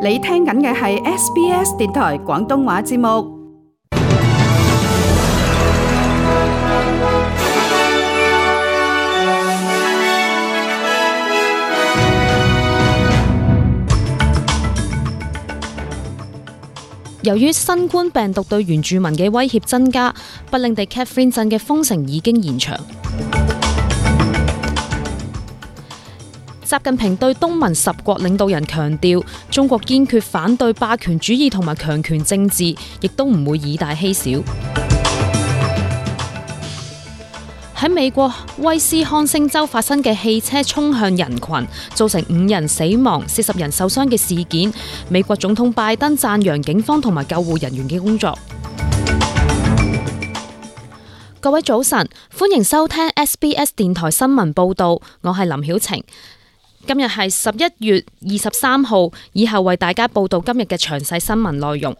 你聽緊嘅係 SBS 電台廣東話節目。由於新冠病毒對原住民嘅威脅增加，不領地 Katherine 鎮嘅封城已經延長。習近平對東盟10國領導人強調，中國堅決反對霸權主義同埋強權政治，亦都唔會以大欺小。喺美國威斯康星州發生嘅汽車衝向人群，造成5人死亡、40人受傷嘅事件，美國總統拜登讚揚警方同埋救護人員嘅工作。各位早晨，歡迎收聽 SBS 電台新聞報道，我係林曉晴。今日係11月23號，以後為大家報道今日嘅詳細新聞內容。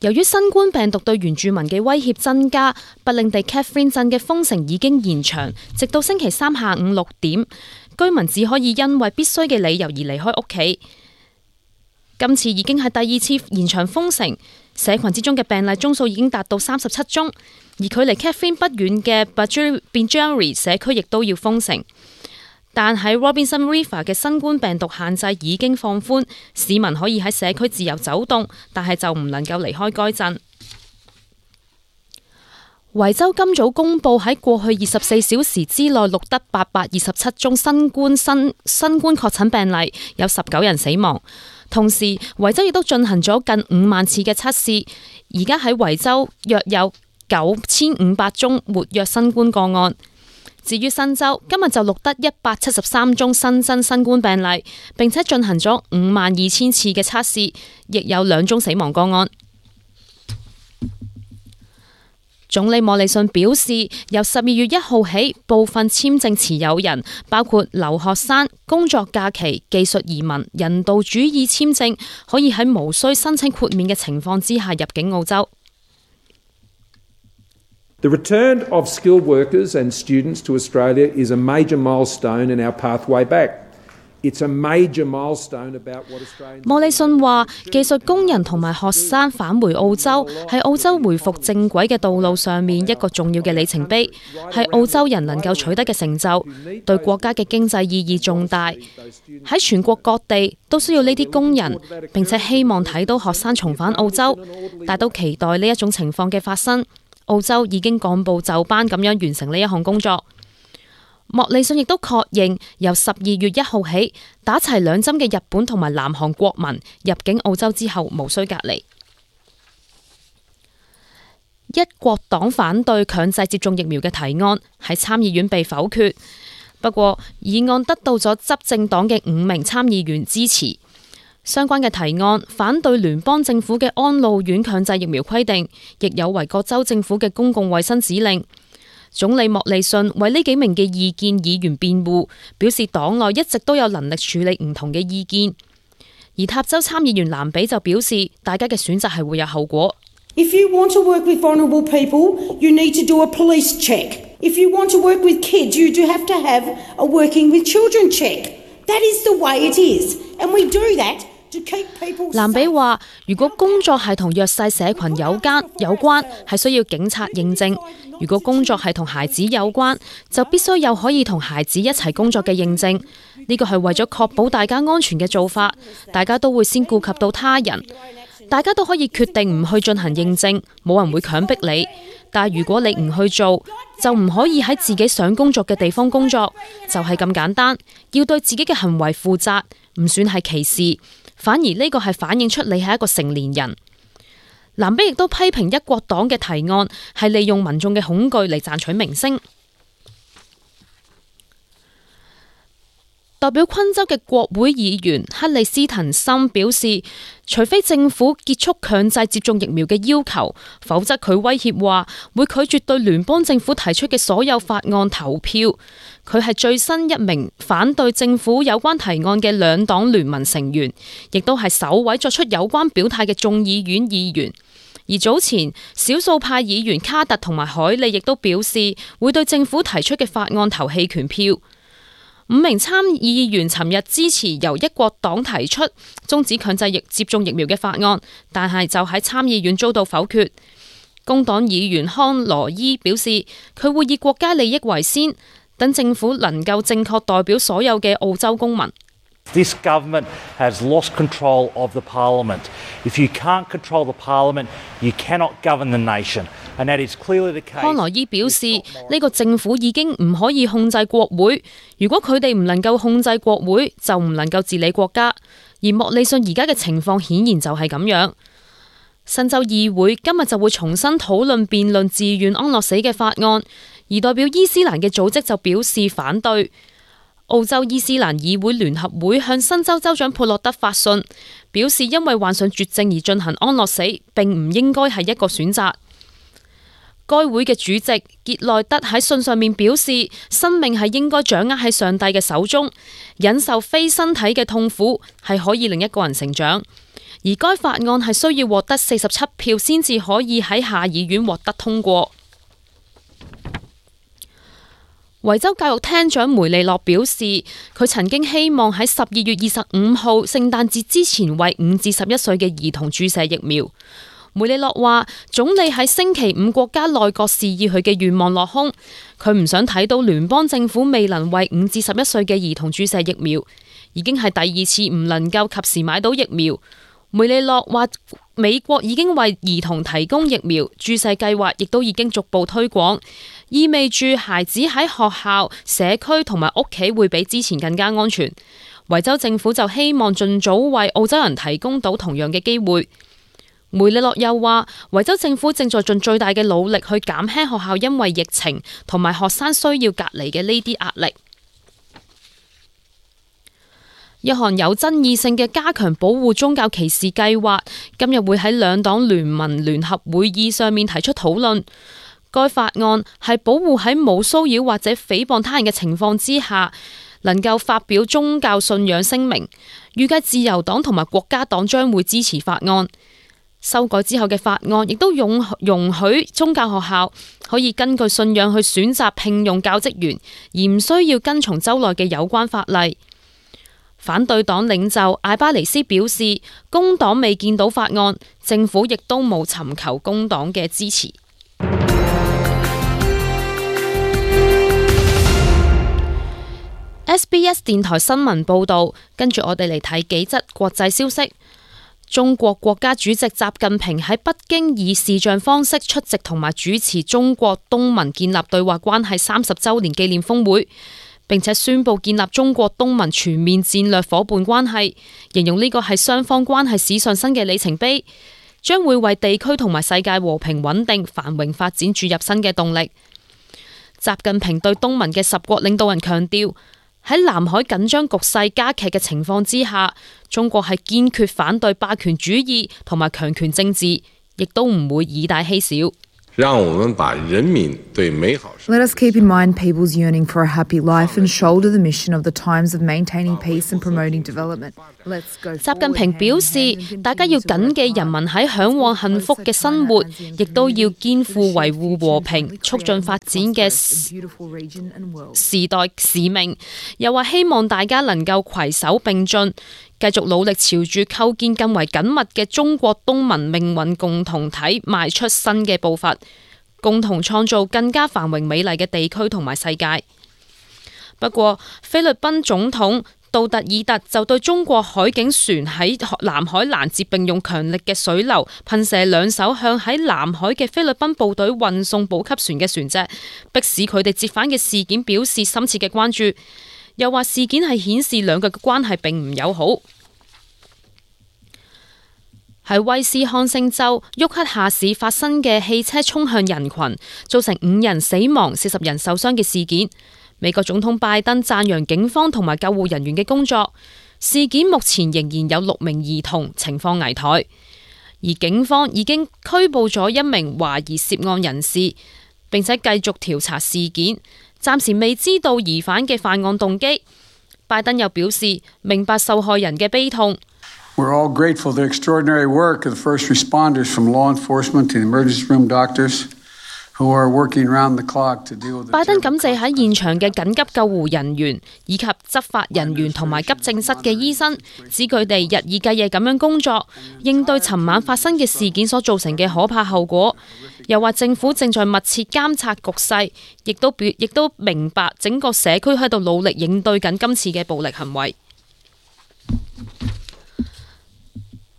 由於新冠病毒對原住民嘅威脅增加，北領地 Katherine 鎮嘅封城已經延長，直到星期三下午6點，居民只可以因為必須嘅理由而離開屋企。今次已經係第2次延長封城，社群之中嘅病例宗數已經達到37宗，而距離 Katherine 不遠嘅 Badgerry 社區亦都要封城。但喺 Robinson River 嘅新冠病毒限制已經放寬，市民可以喺社區自由走動，但係就唔能夠離開該鎮。維州今早公布喺過去24小時之內錄得827宗新冠確診病例，有19人死亡。同時，維州亦都進行咗近5萬次嘅測試，而家喺維州約有9500宗活躍新冠個案。至於新州，今日就錄得173宗新增新冠病例，並且進行咗52000次嘅測試，亦有2宗死亡個案。總理莫里遜表示，由12月1號起，部分簽證持有人，包括留學生、工作假期、技術移民、人道主義簽證，可以喺無需申請豁免嘅情況之下入境澳洲。The return of skilled workers and students to Australia is a major milestone in our pathway back. It's a major milestone about what Australians... 莫里遜話，技術工人同埋學生返回澳洲，係澳洲回復正軌嘅道路上面一個重要嘅里程碑，係澳洲人能夠取得嘅成就，對國家嘅經濟意義重大。喺全國各地都需要呢啲工人，並且希望睇到學生重返澳洲，但都期待呢一種情況嘅發生。澳洲已經按部就班咁樣完成呢一項工作。莫里遜亦都確認，由12月1號起，打齊2針嘅日本同埋南韓國民入境澳洲之後無需隔離。一國黨反對強制接種疫苗嘅提案喺參議院被否決，不過議案得到咗執政黨嘅5名參議員支持。相關嘅提案反對聯邦政府嘅安老院強制疫苗規定，亦有違各州政府嘅公共衛生指令。總理莫里遜為呢幾名嘅異見議員辯護，表示黨內一直都有能力處理唔同嘅意見。而塔州參議員蘭比就表示，大家嘅選擇係會有後果。If you want to work with vulnerable people, you need to do a police check. If you want to work with kids, you do have to have a working with children check. That is the way it is, and we do that.蘭比話：如果工作係同弱勢社群有關，係需要警察認證；如果工作係同孩子有關，就必須有可以同孩子一齊工作嘅認證。呢個係為咗確保大家安全嘅做法，大家都會先顧及到他人。大家都可以決定唔去進行認證，冇人會強迫你。但係如果你唔去做，就唔可以喺自己想工作嘅地方工作，就係咁簡單。要對自己嘅行為負責，唔算係歧視。反而呢個係反映出你係一個成年人。蘭比亦都批評一國黨嘅提案係利用民眾嘅恐懼嚟賺取名聲。代表昆州嘅國會議員克里斯滕森表示，除非政府結束強制接種疫苗嘅要求，否則佢威脅話會拒絕對聯邦政府提出嘅所有法案投票。佢係最新一名反對政府有關提案嘅兩黨聯盟成員，亦都係首位作出有關表態嘅眾議院議員。而早前少數派議員卡特同埋海利亦都表示會對政府提出嘅法案投棄權票。5名參議員尋日支持由一國黨提出終止強制接種疫苗嘅法案，但係就喺參議院遭到否決。工黨議員康羅伊表示，佢會以國家利益為先，等政府能夠正確代表所有嘅澳洲公民。This government has lost control of the parliament. If you can't control the parliament, you cannot govern the nation. And that is clearly the case. 康羅伊表示，呢個政府已經唔可以控制國會。如果佢哋唔能夠控制國會，就唔能夠治理國家。而莫里遜而家嘅情況顯然就係咁樣。新州議會今日就會重新討論辯論自願安樂死嘅法案，而代表伊斯蘭嘅組織就表示反對。澳洲伊斯蘭議會聯合會向新州州長佩洛德發信，表示因為患上絕症而進行安樂死並唔應該係一個選擇。該會嘅主席傑內德喺信上面表示，生命係應該掌握喺上帝嘅手中，忍受非身體嘅痛苦係可以令一個人成長，而該法案係需要獲得47票先至可以喺下議院獲得通過。維州教育廳長梅利諾表示，佢曾經希望喺12月25號聖誕節之前為5至11歲嘅兒童注射疫苗。梅利諾話，總理喺星期五國家內閣示意佢嘅願望落空，佢唔想睇到聯邦政府未能為5至11歲嘅兒童注射疫苗，已經係第2次唔能夠及時買到疫苗。梅利諾話，美國已經為兒童提供疫苗，注射計劃亦都已經逐步推廣，意味住孩子喺學校、社區同埋屋企會比之前更加安全。維州政府就希望盡早為澳洲人提供到同樣嘅機會。梅利諾又話，維州政府正在盡最大嘅努力去減輕學校因為疫情同埋學生需要隔離嘅呢啲壓力。一項有爭議性嘅加強保護宗教歧視計劃，今日會喺兩黨聯盟聯合會議上面提出討論。該法案係保護喺冇騷擾或者誹謗他人嘅情況之下，能夠發表宗教信仰聲明。預計自由黨同埋國家黨將會支持法案。修改之後嘅法案亦都容許宗教學校可以根據信仰去選擇聘用教職員，而唔需要跟從州內嘅有關法例。反對黨領袖艾巴尼斯表示，工黨未見到法案，政府亦都冇尋求工黨嘅支持。SBS 電台新聞報道，跟住我哋嚟睇幾則國際消息。中國國家主席習近平喺北京以視像方式出席同埋主持中國東盟建立對話關係30週年紀念峰會，並且宣布建立中國東盟全面戰略夥伴關係，形容呢個係雙方關係史上新嘅里程碑，將會為地區同埋世界和平穩定繁榮發展注入新嘅動力。習近平對東盟嘅10國領導人強調，喺南海緊張局勢加劇嘅情況之下，中國係堅決反對霸權主義同埋強權政治，亦都唔會以大欺小。讓我們把人民對美好。 Let us keep in mind people's yearning for a happy life and shoulder the mission of the times of maintaining peace and promoting development. Let's go. 習近平表示，大家要謹記人民喺嚮往幸福嘅生活，亦都要肩負維護和平、促進發展嘅時代使命。又話希望大家能夠攜手並進，繼續努力朝住構建更為緊密嘅中國東盟命運共同體邁出新嘅步伐，共同創造更加繁榮美麗嘅地區同埋世界。不過，菲律賓總統杜特爾特就對中國海警船喺南海攔截並用強力嘅水流噴射2艘向喺南海嘅菲律賓部隊運送補給船嘅船隻，迫使佢哋折返嘅事件表示深切嘅關注。又話事件係顯示兩國嘅關係並唔友好。喺威斯康星州沃克夏市發生嘅汽車衝向人群，造成5人死亡、40人受傷嘅事件，美國總統拜登讚揚警方同埋救護人員嘅工作。事件目前仍然有6名兒童情況危殆，而警方已經拘捕咗1名懷疑涉案人士，並且繼續調查事件。暫時未知道疑犯嘅犯案動機。拜登又表示明白受害人嘅悲痛。We're all grateful for the extraordinary work of the first responders from law enforcement to the emergency room doctors 拜登感謝喺現場嘅緊急救護人員以及執法人員同埋急症室嘅醫生，指佢哋日以繼夜咁樣工作，應對尋晚發生嘅事件所造成嘅可怕後果。又話政府正在密切監察局勢，亦都明白整個社區喺度努力應對緊今次嘅暴力行為。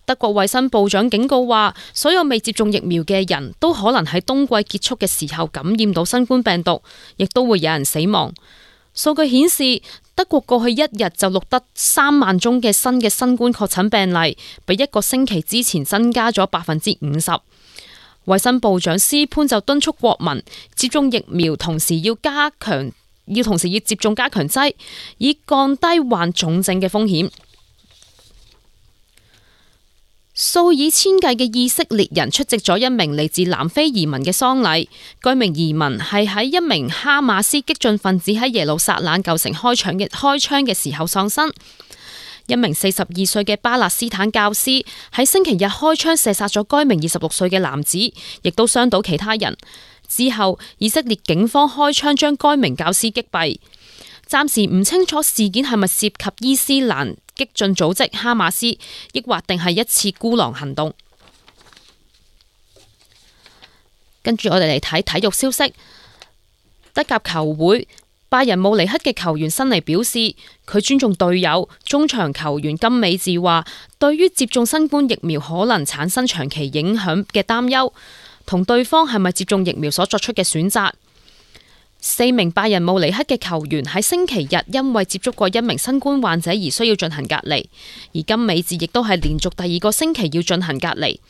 德國衛生部長警告話，所有未接種疫苗嘅人都可能喺冬季結束嘅時候感染到新冠病毒，亦都會有人死亡。數據顯示，德國過去一日就錄得3萬宗嘅新冠確診病例，比一個星期之前增加咗50%。衛生部長斯潘就敦促國民接種疫苗，同時要接種加強劑，以降低患重症嘅風險。數以千計嘅以色列人出席咗一名嚟自南非移民嘅喪禮。該名移民係喺一名哈馬斯激進分子喺耶路撒冷舊城開槍嘅時候喪生。一名42歲嘅巴勒斯坦教師喺星期日開槍射殺咗該名26歲嘅男子，亦都傷到其他人。之後，以色列警方開槍將該名教師擊斃。暫時唔清楚事件係咪涉及伊斯蘭激進組織哈馬斯，抑或定係一次孤狼行動。跟住我哋嚟睇體育消息。德甲球會拜仁慕尼黑嘅球員辛尼表示，佢尊重隊友中場球員金美治話，對於接種新冠疫苗可能產生長期影響嘅擔憂，同對方係咪接種疫苗所作出嘅選擇。4名拜仁慕尼黑嘅球員喺星期日因為接觸過一名新冠患者而需要進行隔離，而金美治亦都係連續第2個星期要進行隔離。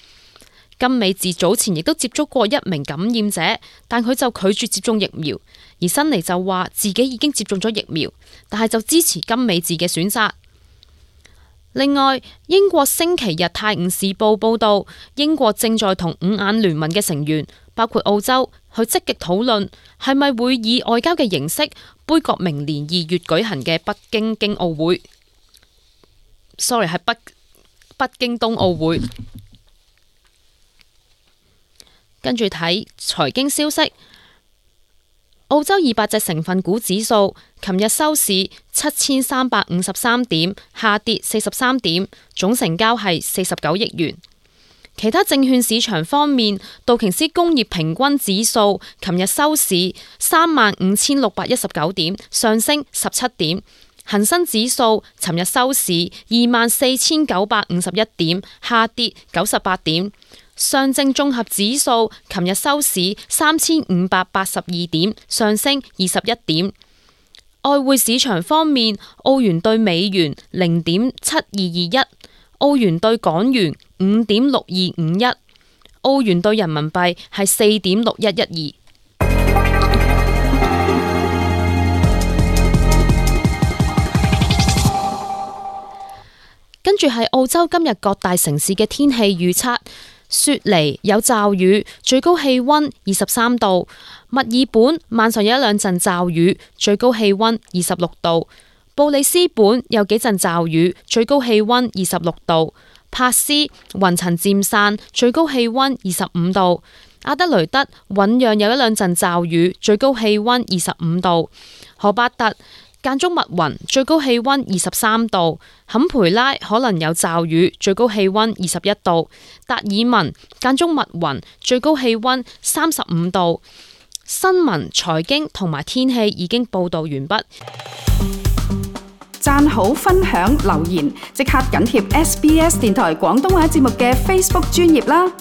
金美治早前亦都接觸過一名感染者，但佢就拒絕接種疫苗，而辛尼就話自己已經接種咗疫苗，但係就支持金美治嘅選擇。另外，英國星期日泰晤士報報道，英國正在同5眼聯盟嘅成員，包括澳洲，去積極討論係咪會以外交嘅形式杯葛明年2月舉行嘅北京奧會。係北京冬奧會。跟住睇財經消息。澳洲200隻成分股指數琴日收市7353點，下跌43點，總成交係49億元。其他證券市場方面，道瓊斯工業平均指數琴日收市35619點，上升17點；恒生指數尋日收市24951點，下跌98點；上證綜合指數琴日收市3582點，上升21點。外匯市場方面，澳元對美元0.7221，澳元對港元5.6251，澳元對人民幣係4.6112。跟住係澳洲今日各大城市嘅天氣預測：雪梨有驟雨，最高氣溫23度；墨爾本晚上有一兩陣驟雨，最高氣溫26度；布里斯本有幾陣驟雨，最高氣溫26度；珀斯雲層漸散，最高氣溫25度；阿德雷德醞釀有一兩陣驟雨，最高氣溫25度；荷巴特間中密雲，最高氣溫23度；坎培拉可能有驟雨，最高氣溫21度；達爾文間中密雲，最高氣溫35度。新聞、財經同埋天氣已經報道完畢。讚好、分享、留言，即刻緊貼SBS 電台廣東話節目嘅 Facebook 專頁啦！